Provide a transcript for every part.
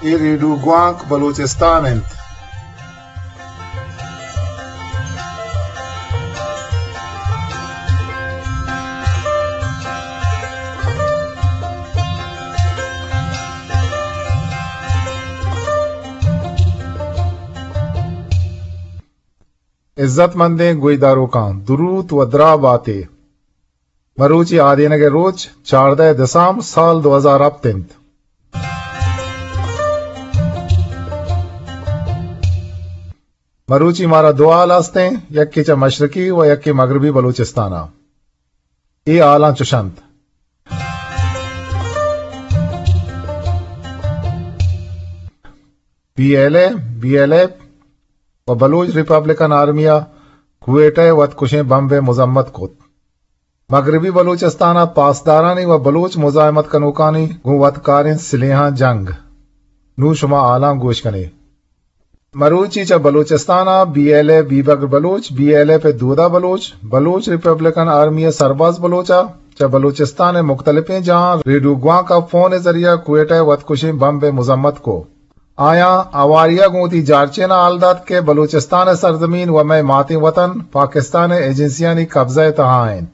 اے ریڈیو گوانک بلوچستان انت۔ عزت مندیں گویداروکاں، دروت و دراہ باتے۔ مروچی آدینگ ء روچ چاردہ دسامبر سال دو ہزار ہپت انت۔ مروچی مارا دو ہال ہستیں، یکے چہ مشرقی و یکے مغربی بلوچستان ء۔ اے ہالاں چش انت۔ بی ایل اے، بی ایل ایف و بلوچ ریپبلکن آرمی ء کوئٹہ ء وت کشیں بمب ء مذمت کت۔ مغربی بلوچستان ء پاسدارانی و بلوچ مزاحمت کنوکانی گوں وت کاریں سلیحاں جنگ۔ نوں شما ہالاں گوش کنے۔ مروچی چہ بلوچستان ء بی ایل اے بیبگر بلوچ، بی ایل ایف ء دودا بلوچ، بلوچ ریپبلکن آرمی ء سرباز بلوچ ء چہ بلوچستان ء مختلفیں جاہاں ریڈیو گوانک ء فون ء ذریعہ کوئٹہ ء وت کشیں بمب ء مذمت کو۔ آیاں ہواری ء گوں وتی جارچین ء ہال دات کہ بلوچستان ء سرزمین و مئے ماتیں وطن پاکستان ء ایجنسیانی قبضہ ء تہا انت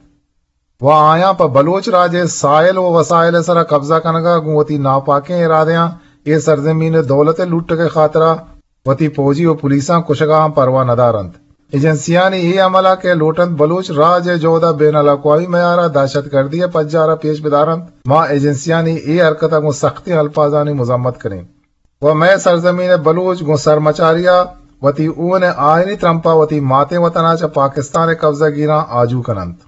و آیاں پہ بلوچ راج ء ساحل و وسائل ء سرا قبضہ کنگ ء گوں وتی ناپاکیں ارادیاں اے سرزمین ء دولت ء لوٹگ ء خاطرا وتی پوجی و پولیساں کشگ ء ہم پرواہ نہ دار انت۔ ایجنسیانی اے عمل ء کہ لوٹ انت بلوچ راج ء جہد ء بین الاقوامی معیار ء دہشت گردی ء پجار ء پیش بدار انت، ما ایجنسیانی اے حرکت ء گوں سختیں الفاظانی مذمت کنیں و مئے سرزمین ء بلوچ گوں سرمچاری ء وتی ہون ء آئینی ترمپ ء وتی ماتیں وطن ء چہ پاکستان ء قبضہ گیراں آجو کن انت۔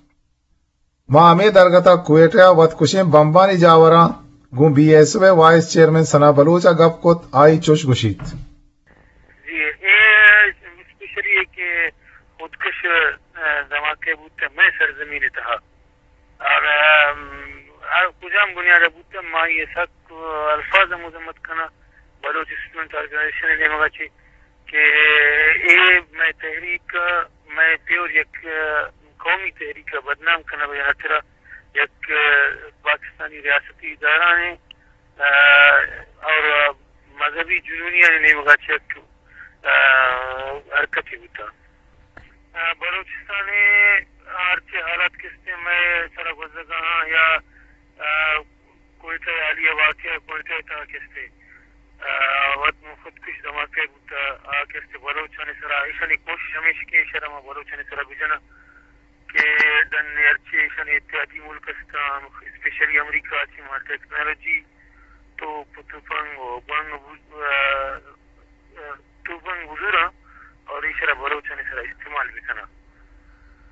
ما ہمے درگت ء کوئٹہ ء وت کشیں بمبانی جاوراں گوں بی ایس او ء وائس چیئرمین ثنا بلوچ ء گپ کت، آئی چش گوشیت۔ جی، اے اسپیشلی اے کہ خودکش، ء، دھماکے بوت مئے سرزمین ء تہا۔ اور، ام، ہر کجام بنیاد ء بوت، ما آئی ء سک الفاظ ء مذمت کناں بلوچ اسٹوڈنٹ آرگنائزیشن ء نیمگ ء چہ کہ اے مئے تحریک، مئے پیور یک قومی تحریک ء بدنام کنگ ء ہاترا یک پاکستانی ریاستی ادارہ نے، ء، اور مذہبی جنونیانی نیمگ ء چہ یک، ء، حرکتے بوتگ۔ ء، بلوچستان ء ہرچی حالات کستیں مئے سرا گوزگ ء آں یا، ء، کوئٹہ ء حالیہ واقعہ کوئٹہ ء تہا کستیں، ء، وت خودکش دھماکہ بوتگ، آ کستیں بلوچانی سرا ایشانی کوشش ہمیش کہ ایشرا ما بلوچانی سرا بجناں کہ ڈن ء ہرچی ایشانی اتحادی ملک استاں، اسپیشلی امریکہ ء چہ ما ٹیکنالوجی توپ، تپنگ و بنگ بو-، ء، ء، توپنگ بزوراں اور ایشرا بلوچانی سرا استعمال بکناں۔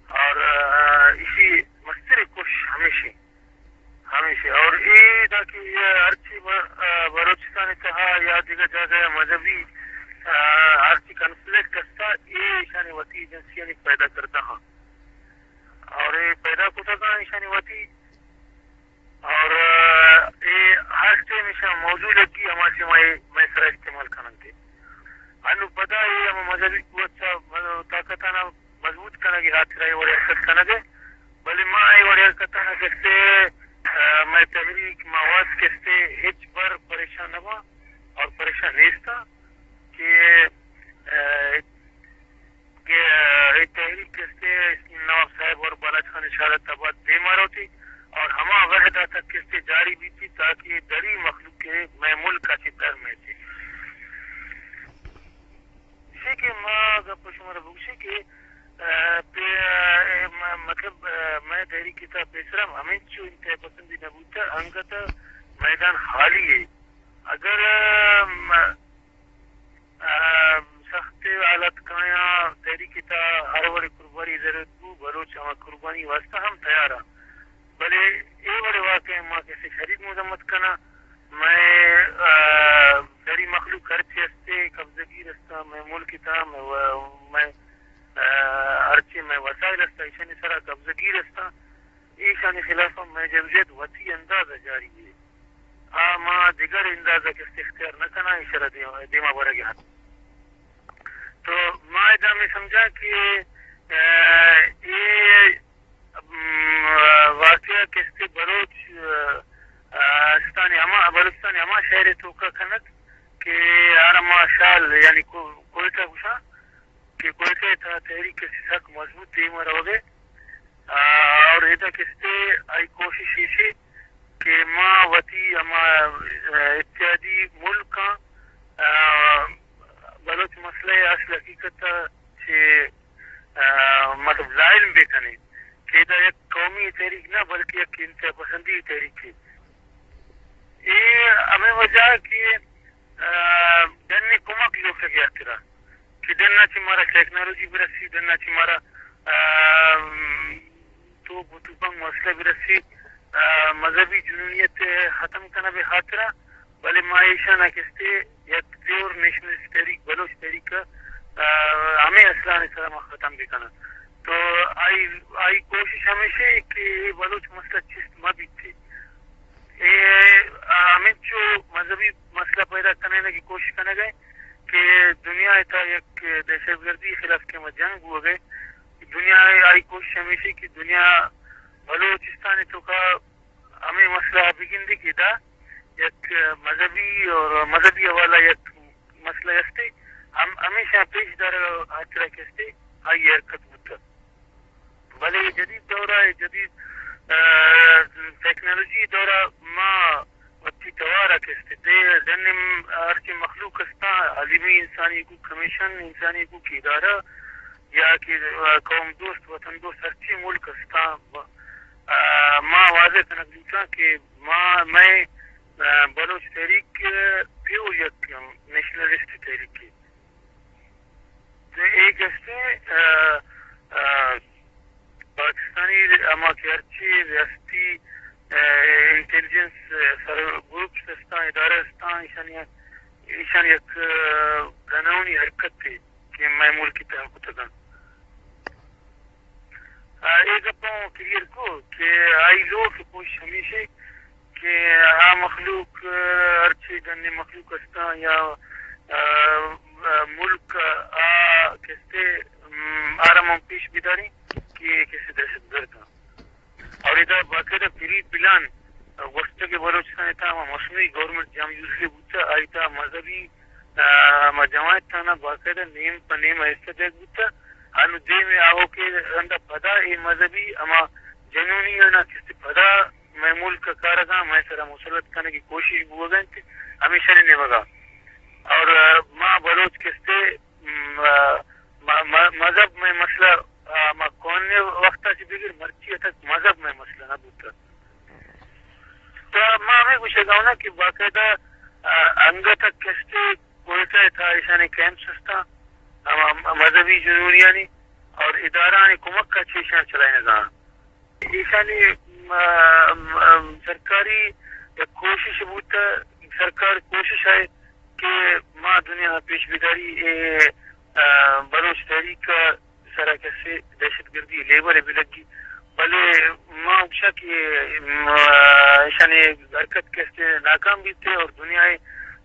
اور، ء، ایشی مستریں کوشش ہمیش انت، ہمیش انت۔ اور اے دا کہ ہرچی ب-، ء، بلوچستان تہا یا دیگر جاگہ مذہبی، ء، ہرچی کنفلکٹ استا، اے ایشانی وتی ایجنسیانی پیدا کردہ ہاں۔ اور اے پیدا کتگاں ایشانی وتی اور، ء، اے ہر ٹائم ایشاں موضوع لگی، ہما ٹائم اے مئے سرا استعمال کننت۔ انو پدا اے ہما مذہبی قوت ء طاقتانا مضبوط کنگ ء ہاترا اے وڑیں حرکت کنگ ء، بلے ما اے وڑیں حرکتانا کستے، ء، مئے تحریک ما وت کستے ہچ بر پریشان نہ باں اور پریشان نیستاں کہ، ء، کہ اے تحریک کستے نواب صاحب اور بالاچ خان شہادت آباد دیما روتی اور ہما وہدا تک کستے جاری بیتی تاکہ دری مخلوق کے مئے ملک ء چہ در میتی۔ اسی کہ ما گپ شمارا بگوشی کہ، ء، پہ، ء، م-، مطلب، ء، مئے تحریک تا پیسرا ہمینچو انتہا پسندی نہ بوتا، انگت میدان خالی ہے۔ اگر، ء، م-، ء، سخت حالت کایاں تحریک تا ہر وڑے قربانی ضرورت بو، بلوچ ہما قربانی واسطہ ہم تیار آں۔ بلے اے وڑے واقعہ ما کسے شدید مذمت کناں۔ مئے، ء، دری مخلوق ہرچی ہستے قبضہ گیر ہستاں، مئے ملک تا، مئے و-، مئے، ء، ہرچی مئے وسائل ہستاں، ایشانی سرا قبضہ گیر ہستاں۔ ایشانی خلاف ہم مئے جدوجہد وتی انداز ء جاری ہے۔ آ ما دگر انداز ء کست اختیار نہ کناں، ایشرا دیم-، دیما برگ ء۔ تو ما ادا ہمے سمجھاں کہ، ء، اے، م، واقعہ کست بلوچ، ء، استانی ہما، بلوچستانی ہما شہر ء توکا کنت کہ بوت دیم ءَ روگ ءَ۔ آ، اور ادا کستے آئی کوشش ایشی کہ ما وتی ہما، آ، اتحادی ملک آں، آ، بلوچ مسئلہ ءِ اصل حقیقت ءَ چہ، آ، مطلب ظاہر بہ کنیں کہ ادا یک قومی تحریک نہ بلکہ یک انتہا پسندی تحریک ہے۔ اے ہمے وجہ کہ، آ، ڈن ءِ کمک لوٹگ ءِ ہاترا کہ ڈن ءَ چہ مارا ٹیکنالوجی برسی، ڈن ءَ چہ مارا، آ، توپ و توپنگ مسئلہ برسی، آ، مذہبی جنونیت ءِ ختم کنگ ءِ ہاترا، بلے ما ایشاں نہ کستے یک پیور نیشنلسٹ تحریک، بلوچ تحریک ءَ، آ، ہمے اصلانی سرا ما ختم بکناں۔ تو آئی، آئی کوشش ہمیشہ کہ اے بلوچ مسئلہ چست مہ بیت۔ اے ہمینچو مذہبی مسئلہ پیدا کنگ ءِ کوشش کنگ ءَ کہ دنیا ءِ تہا یک دہشت گردی خلاف کہ ہما جنگ بوگ ءَ، دنیا ءِ آئی کوشش ہمیشی کہ دنیا بلوچستان ءِ توکا ہمے مسئلہ ءَ بگندی کہ ادا یک مذہبی اور مذہبی حوالہ یک مسئلہ استے، ہم ہمیشہ پیش دارگ ءِ ہاترا کہ استے آئی حرکت بوتگ۔ بلے اے جدید دور ءَ، اے جدید، آ، ٹیکنالوجی دور ءَ ما وتی توار ءَ کہ استے دے ڈن ءَ ہرچی مخلوق استاں، عالمی انسانی حقوق کمیشن، انسانی حقوق ادارہ یا کہ، آ، قوم دوست، وطن دوست ہرچی ملک استاں، آ، ما واضح کنگ لوٹاں کہ ما، مئے، آ، بلوچ تحریک پیور یک نیشنلسٹ تحریک ہے۔ اے گشتیں، آ، آ، پاکستانی ہما کہ ہرچی ریاستی، آ، انٹیلیجنس، آ، سر گروپس استاں، ادارہ استاں، ایشانی، ایشانی یک، آ، گنونی حرکت ہے کہ مئے ملک ءِ تہا کتگاں۔ آ، اے گپاں کلیئر کو کہ آئی لوٹ ءُ کوشش ہمیش اِنت کہ آ مخلوق، آ، ہرچی ڈنی مخلوق استاں یا، آ، آ، ملک آ کستے، ام، آرا من پیش بداریں کہ اے کسے دہشت گرد اَنت۔ اور ادا باقاعدہ پری پلان گوشتگ کہ بلوچستان ءِ تہا ہما مصنوعی گورنمنٹ جام یوزلی بوتہ، آئی تہا مذہبی، آ، ہما جماعت آناں باقاعدہ نیم پہ نیم حصہ دیگ بوتہ۔ انو دیم ءَ آؤکیں رندا پدا اے مذہبی ہما جنونی آناں کستے پدا مئے ملک ءَ کارگاں، مئے سرا مسلط کنگ ءِ کوشش بوگ ءَ اِنت، ہمیشانی نیمگا۔ اور، آ، ما بلوچ کستے، م، آ، م، م، مذہب مئے مسئلہ، آ، ما کون وقت ءَ چہ بگر مرچی ءَ تک مذہب مئے مسئلہ نہ بوتہ۔ تو ما ہمے گوشگ ءَ اوں کہ باقاعدہ، آ، انگت ءَ کستے کوئٹہ ءِ تہا ایشانی کیمپس استاں، ہما مذہبی جنونیانی اور ادارہانی کمک ءَ چہ ایشاں چلائینگ ءَ اَنت۔ ایشانی، م، م، سرکاری یک کوشش بوتہ، سرکار کوشش ءَ کہ ما دنیا ءَ پیش بداری اے، آ، بلوچ تحریک ءِ سرا کسے دہشت گردی لیبل ءَ بلگی، بلے ما گوشاں کہ، م، ایشانی حرکت کسے ناکام بیتے اور دنیا ءِ،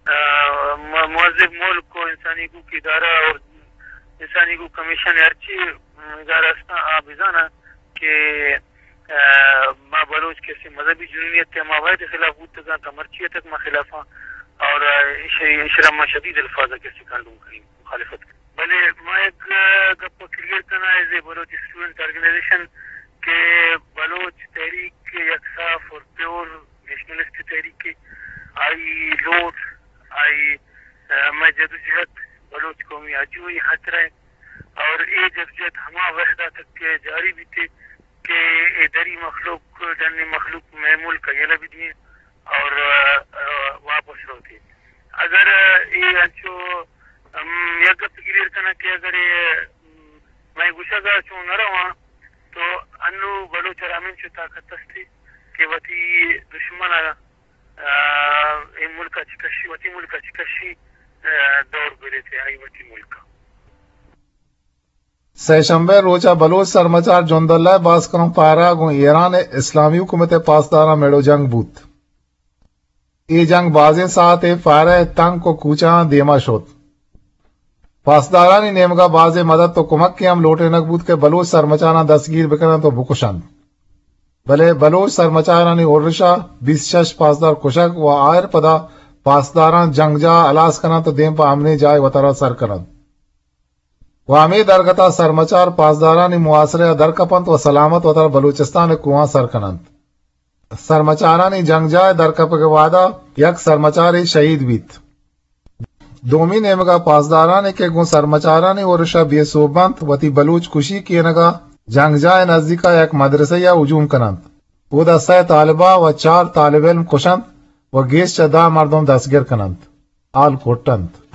آ، م، مہذب ملک و انسانی حقوق ادارہ اور انسانی حقوق کمیشن ہرچی ادارہ استاں آ بزاناں کہ، آ، ما بلوچ کسے مذہبی جنونیت ءِ ہما وہد ءِ خلاف بوتگاں تا مرچی ءَ تک ما خلاف آں اور، آ، ایش-، ایشرا ما شدید الفاظ ءَ کسے کنڈوم کنیں، مخالفت کنیں۔ بلے ما یک، آ، گپ ءَ کلیئر کناں، ایز اے بلوچ اسٹوڈنٹ آرگنائزیشن کہ بلوچ تحریک یک صاف اور پیور نیشنلسٹ تحریک ہے۔ آئی لوٹ، آئی، آ، مئے جدوجہد بلوچ قومی آجوئی ءِ خاطر ءَ اور اے جدوجہد ہما وہد ءَ تک کہ جاری بیتے کہ اے دری مخلوق، ڈنی مخلوق مئے ملک ءَ یلہ بدییں اور، آ، آ، واپس روتے۔ اگر، آ، اے انچو، ام، یک گپ کلیئر کناں کہ اگر اے، ام، مئے گوشگ ءَ چون نہ رواں تو انو بلوچ ءَ را ہمینچو طاقت است کہ وتی دشمن ءَ، آ، اے ملک ءَ چہ کشی، وتی ملک ءَ چہ کشی، آ، دور بریتے آئی وتی ملک ءَ۔ سئے شمبے ءِ روچ ءَ بلوچ سرمچار جنداللہ ءِ باسک کنوک پارہ ءَ گوں ایران ءِ اسلامی حکومت ءِ پاسداراں میڑ و جنگ بوت۔ اے جنگ بازیں ساعتے پارہ ءِ تنک و کوچہاں دیما شت۔ پاسدارانی نیمگا بازیں مدد و کمکے ہم لوٹینگ بوت کہ بلوچ سرمچاراں دستگیر بکننت و بکشنت۔ بلے بلوچ سرمچارانی ارشا بیست شش پاسدار کشگ و آئر پدا پاسداراں جنگجاہ ہلاس کننت و دیم پہ امنیں جاہے وتارا سر کننت۔ و ہمے درگت ءَ سرمچار پاسدارانی محاصرہ ءَ درکپنت و سلامت وتارا بلوچستان ءِ کوہاں سر کننت۔ سرمچارانی جنگجاہ ءِ درکپگ ءِ وہد ءَ یک سرمچارے شہید بیت۔ دومی نیمگ ءَ پاسدارانی کہ گوں سرمچارانی ارش ءَ بے سوب بنت، وتی بلوچ کشی کینگ ءَ جنگجاہ ءِ نزیک ءَ یک مدرسہ ءَ ہجوم کننت۔ اودا سئے طالبہ و چار طالب علم کشنت و گیش چہ دہ مردم دستگر کننت، آل کٹنت۔